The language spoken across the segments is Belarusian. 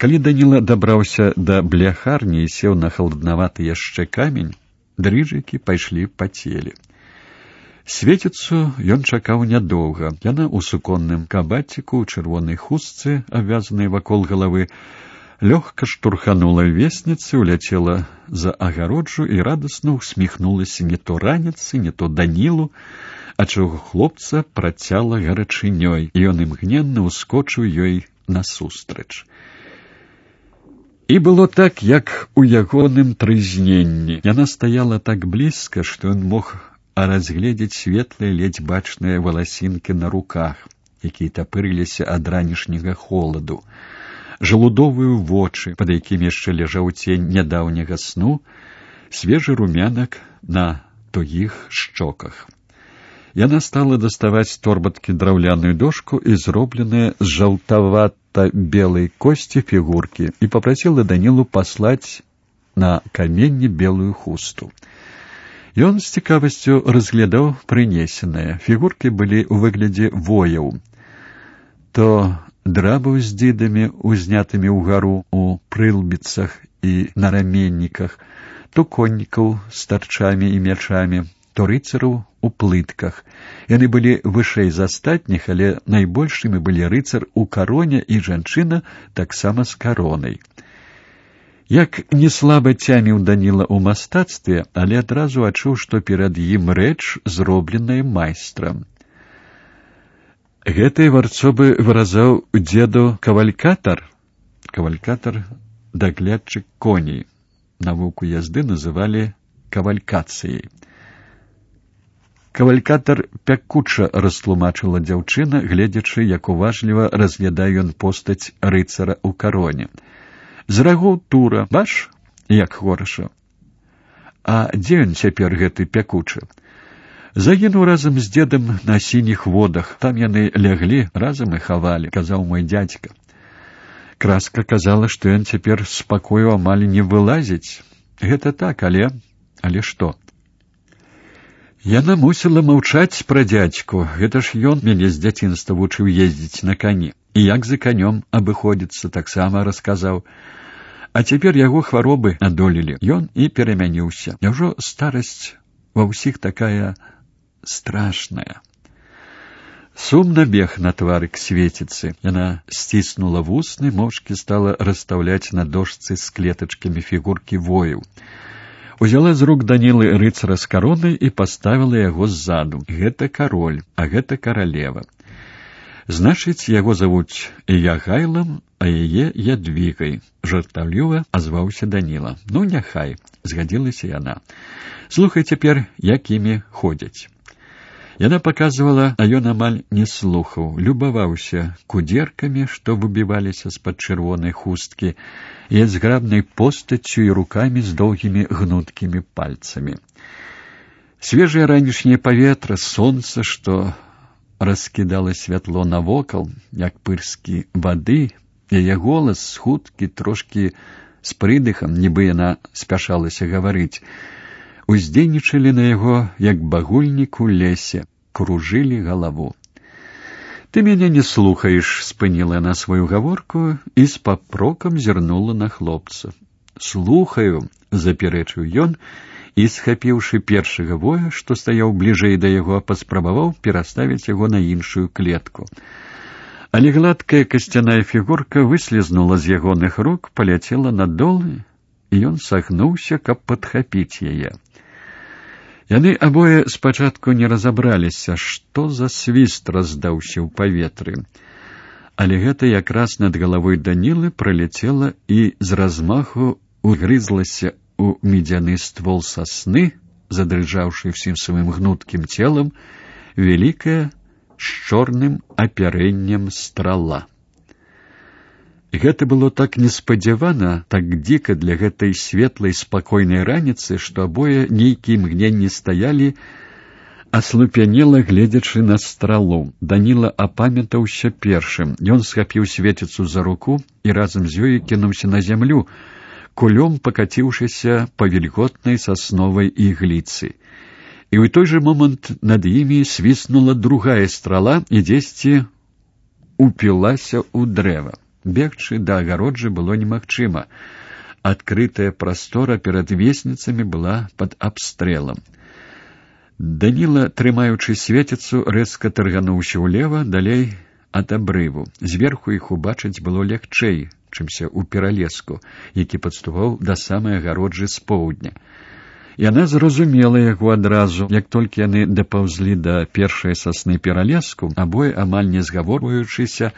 Калі Даніла дабраўся да бляхарні і сеў на халаднаваты яшчэ камень, дрыжыкі пайшлі па целе. Свеціцу ён чакаў нядоўга. Яна ў суконным кабаціку, у чырвонай хустцы, абвязанай вакол галавы, лёгка штурханула весніцы, уляцела за агароджу і радасна усміхнулася не то раніцы, не то Данілу, а чаго хлопца працяла гарачынёй, і ён імгненна ўскочыў ёй насустрач. І было так, як у ягоным трызненні. Яна стаяла так блізка, што ён мог разгледзець светлыя, ледзь бачныя валасінкі на руках, якія тапырыліся ад ранішняга холаду, жалудовыя вочы, пад якімі яшчэ ляжаў цень нядаўняга сну, свежы румянак на тугіх шчоках. Яна стала даставаць з торбаткі драўляную дошку і зробленыя з жаўтавата-белай косці фігуркі і папрасіла Данілу паслаць на каменні белую хусту. Ён з цікавасцю разглядаў прынесенае. Фігуркі былі ў выглядзе вояў. То драбаў з дзідамі, узнятымі ўгару у прылбіцах і на раменніках, то коннікаў з тарчамі і мячамі, то рыцараў у плытках. Яны былі вышэй за астатніх, але найбольшымі былі рыцар у кароне і жанчына таксама з каронай. Як не слаба цяміў Даніла ў мастацтве, але адразу адчуў, што перад ім рэч, зробленая майстрам. Гэтай варцобы выразаў дзеду кавалькатар. Кавалькатар — даглядчык коней. Навуку язды называлі кавалькацыяй. Кавалькатар пякуча растлумачыла дзяўчына, гледзячы, як уважліва разглядае ён постаць рыцара ў кароне. З рагоў тура, бач, як хораша. А дзе ён цяпер, гэты пякучы? Загінуў разам з дзедам на сініх водах. Там яны ляглі, разам і хавалі, казаў мой дзядзька. Краска казала, што ён цяпер з пакою амаль не вылазіць. Гэта так, але што? Яна мусіла маўчаць пра дзядзьку. Гэта ж ён мяне з дзяцінства вучыў ездзіць на кані. І як за канём абыходзіцца, таксама расказаў. А цяпер яго хваробы адолелі. Ён і перамяніўся. Няўжо старасць ва ўсіх такая страшная? Сум набег на твары к Свеціцы. Яна сціснула вусны, моўчкі стала расстаўляць на дошцы з клетачкамі фігуркі вояў. Узяла з рук Данілы рыцара з каронай і паставіла яго ззаду. Гэта кароль, а гэта каралева. Значыць, яго завуць Ягайлам, а яе Ядвігай. Жартаўліва азваўся Даніла. Ну, няхай, згадзілася яна. Слухай цяпер, як імі ходзяць. Яна паказвала, а ён амаль не слухаў, любаваўся кудзеркамі, што выбіваліся з-пад чырвонай хусткі, і зграбнай постаццю і рукамі з доўгімі гнуткімі пальцамі. Свежае ранішняе паветра, сонца, што раскідала святло навокал, як пырскі вады, яе голас хуткі, трошкі з прыдыхам, нібы яна спяшалася гаварыць, уздзейнічалі на яго, як багульнік у лесе, кружылі галаву. «Ты мяне не слухаеш», — спыніла яна сваю гаворку і з папрокам зірнула на хлопца. «Слухаю», — запярэчыў ён, і, схапіўшы першага воя, што стаяў бліжэй да яго, паспрабаваў пераставіць яго на іншую клетку. Але гладкая касцяная фігурка выслізнула з ягоных рук, паляцела надол, і ён сагнуўся, каб падхапіць яе. Яны абое спачатку не разабраліся, што за свіст раздаўся ў паветры. Але гэта якраз над галавой Данілы праляцела і з размаху угрызлася у медзяны ствол сасны, задрыжаўшы ўсім сваім гнуткім целам, вялікая з чорным апярэннем страла. Гэта было так неспадзявана, так дзіка для гэтай светлай, спакойнай раніцы, што абое нейкія імгненні стаялі, аслупянела, гледзячы на стралу. Даніла апамятаўся першым. Ён схапіў Свеціцу за руку і разам з ёй кінуўся на зямлю, кулём пакаціўшыся па вільготнай сасновай ігліцы. І ў той жа момант над імі свіснула другая страла і дзесьці упілася ў дрэва. Бегчы да агароджы было немагчыма. Адкрытая прастора перад весніцамі была пад абстрэлам. Даніла, трымаючы светіцу, рэзка таргануўся ўлева, далей ад абрыву. Зверху іх убачыць было лягчэй, чымся ў пералеску, які падступаў да самай агароджы з поўдня. Яна зразумела яго адразу. Як толькі яны дапаўзлі да першай сасны пералеску, абое, амаль не згаворваючыся,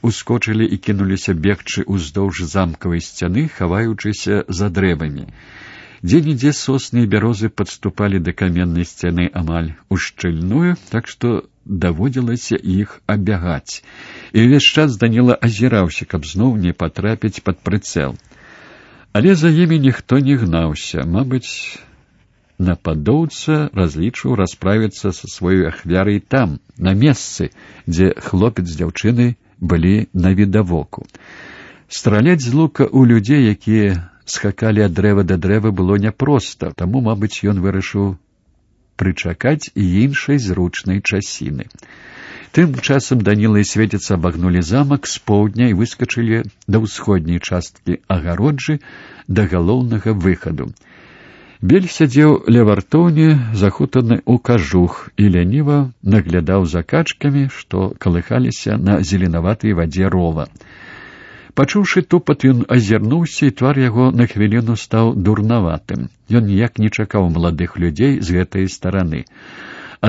ускочылі і кінуліся бегчы ўздоўж замкавай сцяны, хаваючыся за дрэвамі. Дзе-нідзе сосны і бярозы падступалі да каменнай сцяны амаль ушчыльную, так што даводзілася іх абягаць. І ўвесь час Даніла азіраўся, каб зноў не патрапіць пад прыцэл. Але за імі ніхто не гнаўся. Мабыць, нападоўца разлічыў расправіцца са сваёй ахвярай там, на месцы, дзе хлопец з дзяўчынай былі навідавоку. Страляць з лука ў людзей, якія скакалі ад дрэва да дрэва, было няпроста, таму, мабыць, ён вырашыў прычакаць і іншай зручнай часіны. Тым часам Даніла і Светіца абагнулі замак з поўдня і выскачылі да ўсходняй часткі агароджы, да галоўнага выхаду. Бель сядзеў ля вартоўні, захутаны ў кажух, і ляніва наглядаў за качкамі, што калыхаліся на зеленаватай вадзе рова. Пачуўшы тупат, ён азірнуўся, і твар яго на хвіліну стаў дурнаватым. Ён ніяк не чакаў маладых людзей з гэтай стараны.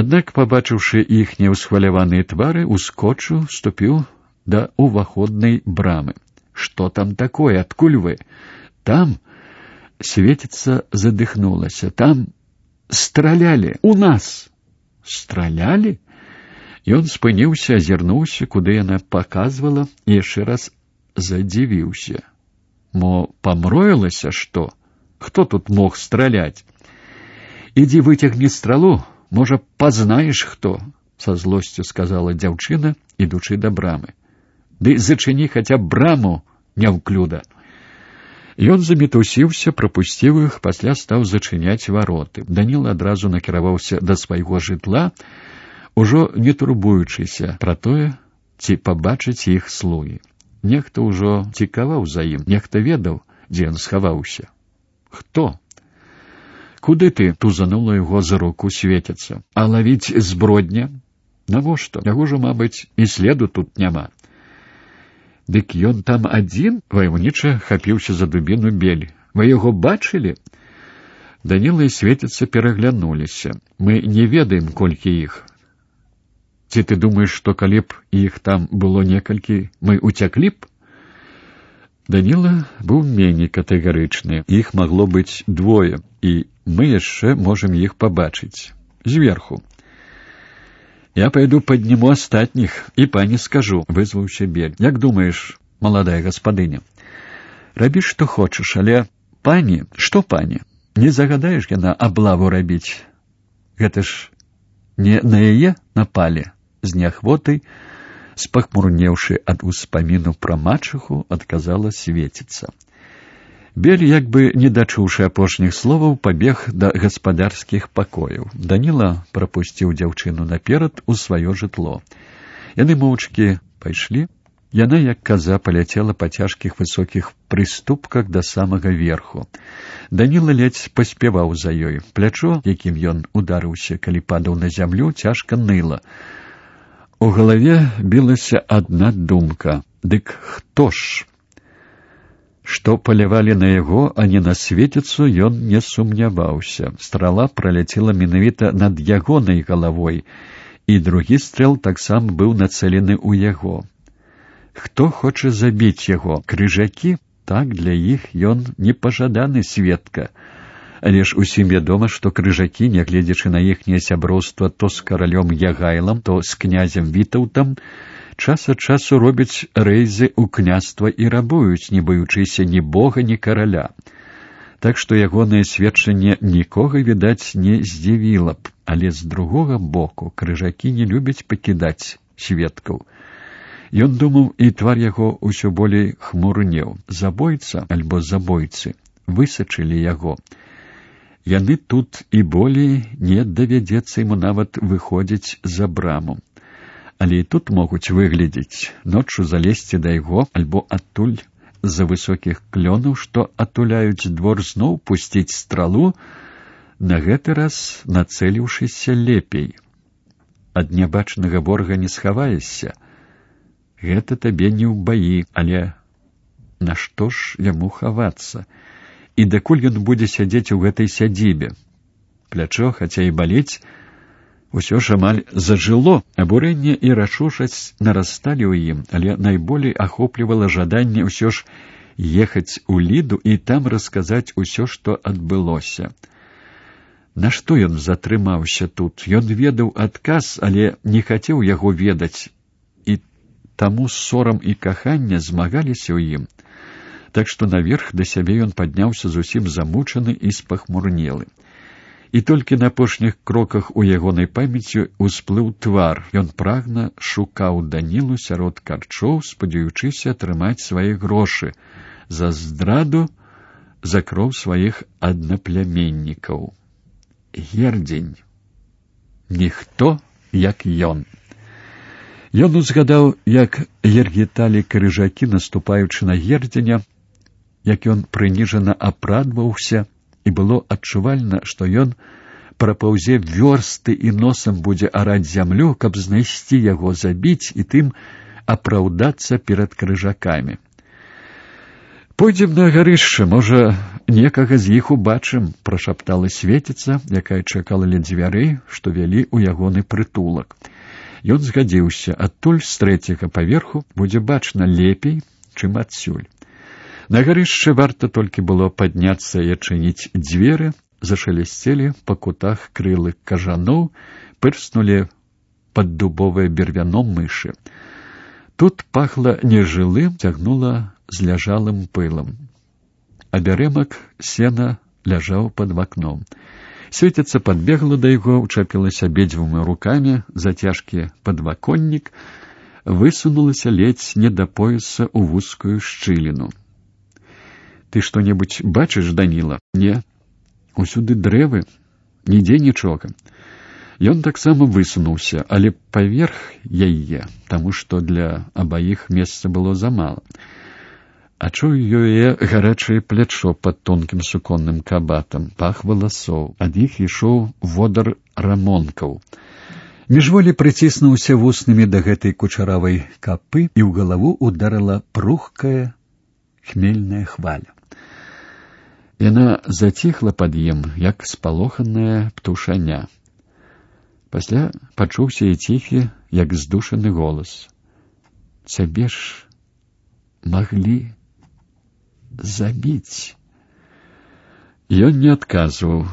Аднак, пабачыўшы іхнія ўсхваляваныя твары, ускочыў, ступіў да ўваходнай брамы. «Што там такое? Адкуль вы?» «Там...» Светіца задыхнулася. «Там стралялі! У нас!» «Стралялі?» Ён спыніўся, азірнуўся, куды яна паказвала, і яшчэ раз задзівіўся. «Мо памроілася, што? Хто тут мог страляць?» «Ідзі выцягні стралу, можа, пазнаеш, хто?» — са злосцю сказала дзяўчына, ідучы да брамы. «Ды зачыні хаця б браму, няўклюда!» Ён замітусіўся, прапусціў іх, пасля стаў зачыняць вароты. Даніла адразу накіраваўся да свайго жытла, ужо не турбуючыся пра тое, ці пабачыць іх слугі. Нехта ўжо цікаваў за ім, нехта ведаў, дзе ён схаваўся. «Хто?» «Куды ты?» — тузанула яго за руку Светіца. «А лавіць збродня? Навошта? Яго ж, мабыць, і следу тут няма». «Дык ён там адзін?» — ваяўніча хапіўся за дубіну Бель. «Вы яго бачылі?» Даніла і Светіца пераглянуліся. «Мы не ведаем, колькі іх. Ці ты думаеш, што калі б іх там было некалькі, мы уцяклі б?» Даніла быў меней катэгарычны. «Іх магло быць двое, і мы яшчэ можам іх пабачыць. Зверху». «Я пойду подниму астатніх і пані скажу», — вызваўся Бель. «Як думаеш, маладая гаспадыня?» «Рабі, што хочаш, але пані, што пані? Не загадаеш яна аблаву рабіць? Гэта ж не на яе напалі?» З неахвотай, спахмурнеўшы ад успаміну пра мачыху, адказала Светіца. Бель, як бы не дачуўшы апошніх словаў, пабег да гаспадарскіх пакояў. Даніла прапусціў дзяўчыну наперад у сваё жытло. Яны моўчкі пайшлі. Яна, як каза, паляцела па цяжкіх высокіх прыступках да самага верху. Даніла ледзь паспяваў за ёй. Плячо, якім ён ударыўся, калі падаў на зямлю, цяжка ныла. У галаве білася адна думка. Дык хто ж? Што палявалі на яго, а не на Светіцу, ён не сумняваўся. Страла праляцела менавіта над ягонай галавой, і другі стрэл таксама быў нацэлены ў яго. Хто хоча забіць яго? Крыжакі? Так, для іх ён непажаданы сведка. Але ж усім вядома, што крыжакі, нягледзячы на іхняе сяброўства то з каралём Ягайлам, то з князем Вітаўтам, час ад часу робяць рэйзы ў княства і рабуюць, не баючыся ні бога, ні караля. Так што ягонае сведчанне нікога, відаць, не здзівіла б. Але з другога боку крыжакі не любяць пакідаць сведкаў. Ён думаў, і твар яго ўсё болей хмурнеў. Забойца альбо забойцы высачылі яго. Яны тут і болей не давядзецца яму нават выходзіць за браму. Але і тут могуць выглядзець, ноччу залезці да яго альбо адтуль з-за высокіх клёнаў, што атуляюць двор, зноў пусціць стралу, на гэты раз нацэліўшыся лепей. Ад нябачнага ворага не схаваешся. Гэта табе не ў баі, але нашто ж яму хавацца? І дакуль ён будзе сядзець у гэтай сядзібе? Плячо, хаця і балець, усё ж амаль зажыло. Абурэнне і рашучасць нарасталі ў ім, але найболей ахоплівала жаданне ўсё ж ехаць у Ліду і там расказаць усё, што адбылося. Нашто ён затрымаўся тут? Ён ведаў адказ, але не хацеў яго ведаць, і таму сорам і каханне змагаліся ў ім. Так што наверх да сябе ён падняўся зусім замучаны і спахмурнелы. І толькі на апошніх кроках у ягонай памяці ўсплыў твар. Ён прагна шукаў Данілу сярод карчоў, спадзяючыся атрымаць свае грошы за здраду, за кроў сваіх аднапляміннікаў. Гердзень. Ніхто, як ён. Ён узгадаў, як ергеталі крыжакі, наступаючы на Гердзеня, як ён прыніжана апрадваўся, і было адчувальна, што ён прапаўзе вёрсты і носам будзе араць зямлю, каб знайсці яго, забіць і тым апраўдацца перад крыжакамі. «Пойдзем на гарышча, можа, некага з іх убачым», — прашаптала Светіца, якая чакала ля дзвярэй, што вялі ў ягоны прытулак. Ён згадзіўся, адтуль з трэцяга паверху будзе бачна лепей, чым адсюль. На гарышча варта толькі было падняцца і адчыніць дзверы, зашалясцелі па кутах крылы кажаноў, пырснулі пад дубовае бервяно мышы. Тут пахла нежылым, цягнула зляжалым пылам. Абярэмак сена ляжаў пад вакном. Светіца падбегла да яго, учапілася абедзвюма рукамі за цяжкі падваконнік, высунулася ледзь не да пояса ў вузкую шчыліну. «Ты што-небудзь бачыш, Даніла?» «Не. Усюды дрэвы, нідзе нічога». Ён таксама высунуўся, але паверх яе, таму што для абаіх месца было замала. Адчуў яе гарачае плячо пад тонкім суконным кабатам, пах валасоў, ад іх ішоў водар рамонкаў. Міжволі прыціснуўся вуснымі да гэтай кучаравай капы, і ў галаву ударыла прухкая хмельная хваля. Яна заціхла пад ім, як спалоханая птушаня. Пасля пачуўся і ціхі, як здушаны голас. «Цябе ж маглі забіць». Ён не адказваў,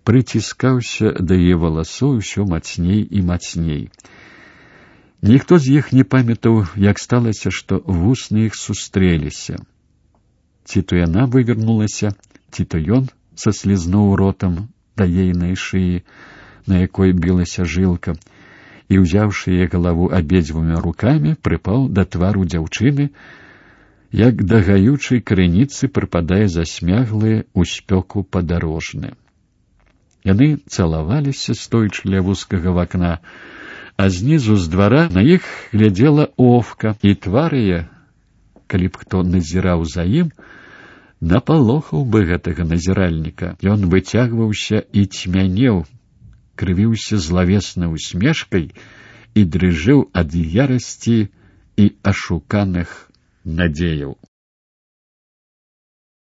прыціскаўся да яе валасоў усё мацней і мацней. Ніхто з іх не памятаў, як сталася, што вусны іх сустрэліся. Ці то яна вывернулася, ці то ён саслізнуў ротам да ейнай шыі, на якой білася жылка, і, узяўшы яе галаву абедзвюма рукамі, прыпаў да твару дзяўчыны, як да гаючай крыніцы прыпадае засмяглы ў спёку падарожны. Яны цалаваліся, стоячы ля вузкага вакна, а знізу з двара на іх глядзела Овка, і твар яе, калі б хто назіраў за ім, напалохаў бы гэтага назіральніка. Ён выцягваўся і цьмянеў, крывіўся злавеснай усмешкай і дрыжэў ад ярасці і ашуканых надзеяў.